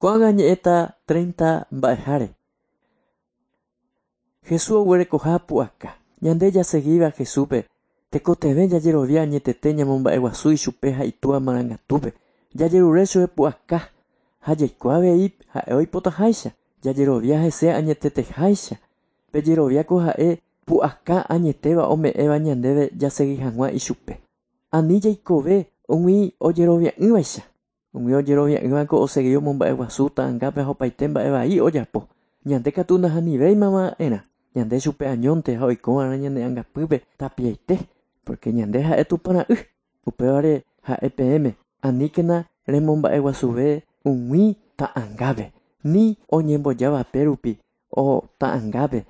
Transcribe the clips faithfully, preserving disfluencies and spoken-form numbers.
Ko'ág̃a ñe'ẽta treinta mba'eháre. Jesús oguerekoha pu'aka. Ñande jaseguíva Jesúspe tekotevẽ jajerovia añetete ñamomba'eguasu ichupe ha itúva marangatúpe. Jajerure chupe pu'aka ha jaikuaa avei ha'e oipotaháicha. Jajerovia hese añeteteháicha. Pejeroviáko ha'e pu'aka añetéva ome'ẽva ñandéve jasegui hag̃ua ichupe. Ani jaikove umi ojerovia'ỹvaicha. Umi ojerovia'ỹvako osegui omomba'eguasu ta'angápe ha opaite mba'e vai ojapo. Ñande katu ndahanivéimava'erã. Ñande chupe añónte ha oikova'erã ñane angapýpe tapiaite, porque ñande ha'e Tupãra'y. Upévare ha'e peẽme aníkena remomba'eguasuve umi ta'angápe ni oñembojávape rupi o ta'angápe.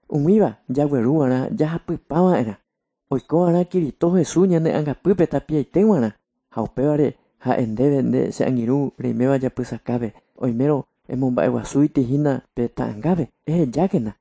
Umíva jagueruva'erã jahapypava'erã. Oikova'erã Kirito Jesús ñane angapýpe tapiaite g̃uarã. Ha upévare ha'e ndéve nde che angirũ reiméva japysakápe. Oimérõ emomba'eguasúiti hína pe ta'angápe ehejákena.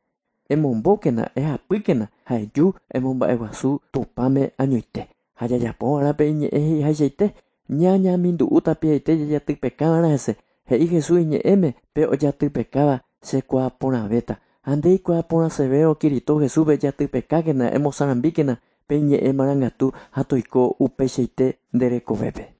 Emombókena, ehapýkena ha eju emomba'eguasu Tupãme añoite. Ha jajapova'erã pe iñe'ẽ he'iháichaite ñañamindu'u tapiaite jajatypekava'erã hese. He'i Jesús iñe'ẽme pe ojatypekáva chekuaaporãvéta. Ha nde ikuaaporãsevérõ Kirito Jesúspe jatypekákena emosarambíkena pe iñe'ẽ marangatu ha toiko upeichaite nde rekovépe.